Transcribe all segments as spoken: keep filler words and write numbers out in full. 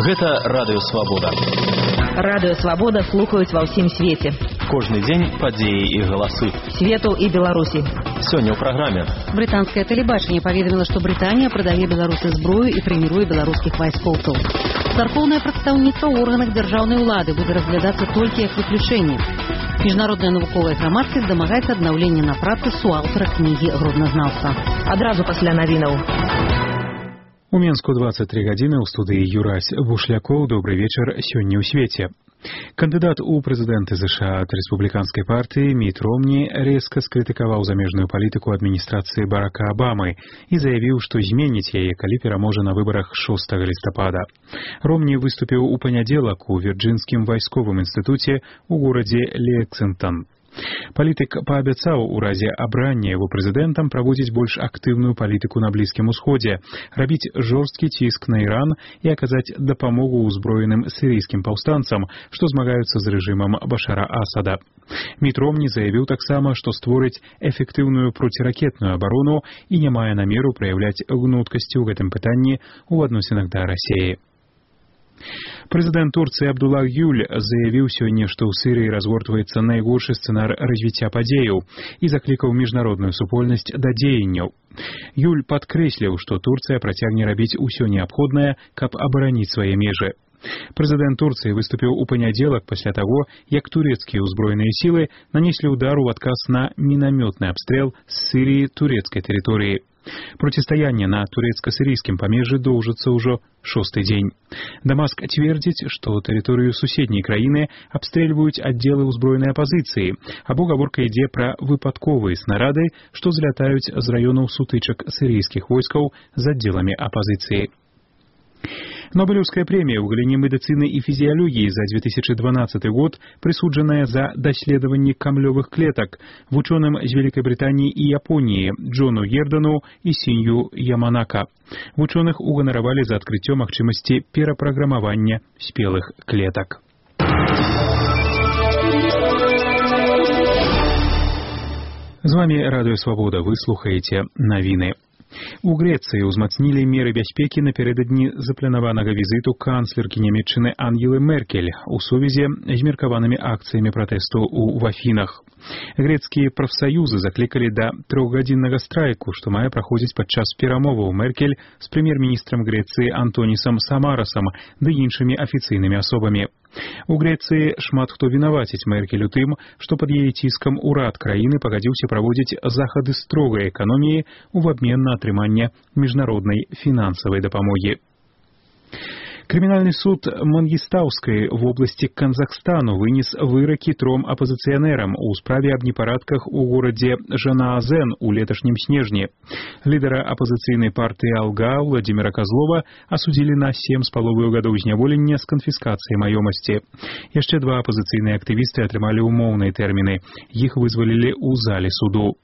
Гэта Радыё Свабода. Радыё Свабода слухаюць ва ўсім свеце. Кожны дзень падзеі і галасы. Свету і Беларусі. Сёння ў праграме. Брытанскае тэлебачанне паведаміла, што Брытанія прадае Беларусі зброю і трэнуе беларускіх вайскоўцаў. Царкоўнае прадстаўніцтва ў органах дзяржаўнай улады будзе разглядацца толькі як выключэнне. Міжнародная навуковая грамадскасць дамагаецца аднаўлення на працы суаўтара кнігі гродназнаўца. Адразу пасля навінаў. У Менску двадцать три гадзіны ў студыі Юрась Бушлякоў. Добры вечар сёння ў свеце. Кандыдат у прэзідэнты ЗША ад рэспубліканскай партыі Міт Ромні рэзка скрытыкаваў замежную палітыку адміністрацыі Барака Абамы і заявіў, што зменіць яе, калі пераможа на выбарах шостага лістапада. Ромні выступіў у панядзелак у Вірджынскім вайсковым інстытуце ў горадзе Лексінгтон. Палітык паабяцаў у разе абрання яго прэзідэнтам праводзіць больш актыўную палітыку на Блізкім усходзе, рабіць жорсткі ціск на Іран і аказаць дапамогу ўзброеным сірыйскім паўстанцам, што змагаюцца з рэжымам Башара Асада. Міт Ромні заявіў таксама, што створыць эфектыўную проціракетную абарону і не мае намеру праяўляць гнуткасці ў гэтым пытанні ў адносінах да Расіі. Прэзідэнт Турцыі Абдуллах Гюль заявіў сёння, што ў Сірыі разгортваецца найгоршы сцэнар развіцця падзеяў і заклікаў міжнародную супольнасць да дзеянняў. Гюль падкрэсліў, што Турцыя працягне рабіць усё неабходнае, каб абараніць свае межы. Прэзідэнт Турцыі выступіў у панядзелак пасля таго, як турэцкія ўзброеныя сілы нанеслі ўдар у адказ на мінамётны абстрэл з Сірыі турэцкай тэрыторыі. Процістаянне на турэцка-сірыйскім памежжы доўжыцца ўжо шосты дзень. Дамаск цвердзіць, што тэрыторыю суседняй краіны абстрэльваюць аддзелы ўзброенай апазіцыі, або гаворка ідзе пра выпадковыя снарады, што злятаюць з раёнаў сутычак сірыйскіх войскаў з аддзеламі апазіцыі. Нобелеўская прэмія ў галіне медыцыны і фізіялогіі за две тысячи дванадцаты год прысуджаная за даследаванне камлёвых клетак вучоным з Вялікай Брытаніі і Японіі Джону Гердану і Сінью Яманака. Вучоных уганаравалі за адкрыццё магчымасці перапраграмавання спелых клетак. З вамі Радыё Свабода, вы слухаеце навіны. У Грэцыі ўзмацнілі меры бяспекі напярэдадні запланаванага візіту канцлеркі Нямецчыны Ангелы Меркель у сувязі з меркаванымі акцыямі пратэсту ў Афінах. Грэцкія прафсаюзы заклікалі да трохгадзіннага страйку, што мае праходзіць падчас перамоваў Меркель з прэм'ер-міністрам Грэцыі Антонісам Самарасам ды іншымі афіцыйнымі асобамі. У Грэцыі шмат хто вінаваціць Меркель у тым, што пад яе ціскам урад краіны пагадзіўся праводзіць захады строгай эканоміі ў абмен на атрыманне міжнароднай фінансавай дапамогі. Крымінальны суд Мангістаўскай в обласці Казахстану вынес выракі тром апазіцыянерам у справе аб непарадках у горадзе Жанаазен у леташнім снежні. Лідара апазіцыйнай партыі Алга Владзіміра Казлова асудзілі на сем з паловаю гадоў зняволення з канфіскацыяй маёмасці. Яшчэ два апазіцыйныя актывісты атрымалі умоўныя тэрміны. Іх вызвалілі ў зале суду.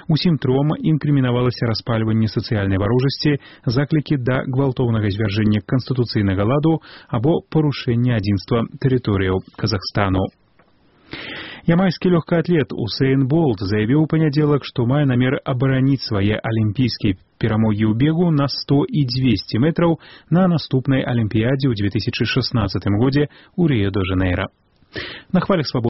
Усім тром інкрымінавалася распальванне сацыяльнай варожасці, заклікі да гвалтоўнага звяржэння канстытуцыйнага ладу або парушэння адзінства тэрыторыяў Казахстану. Ямайскі лёгкаатлет Усейн Болт заявіў у панядзелак, што мае намер абараніць свае алімпійскія перамогі ў бегу на сто і дзвесце метраў на наступнай алімпіядзе ў две тысячи шаснаццатым годзе ў Рыё-дэ-Жанейра. На хвалях свабоды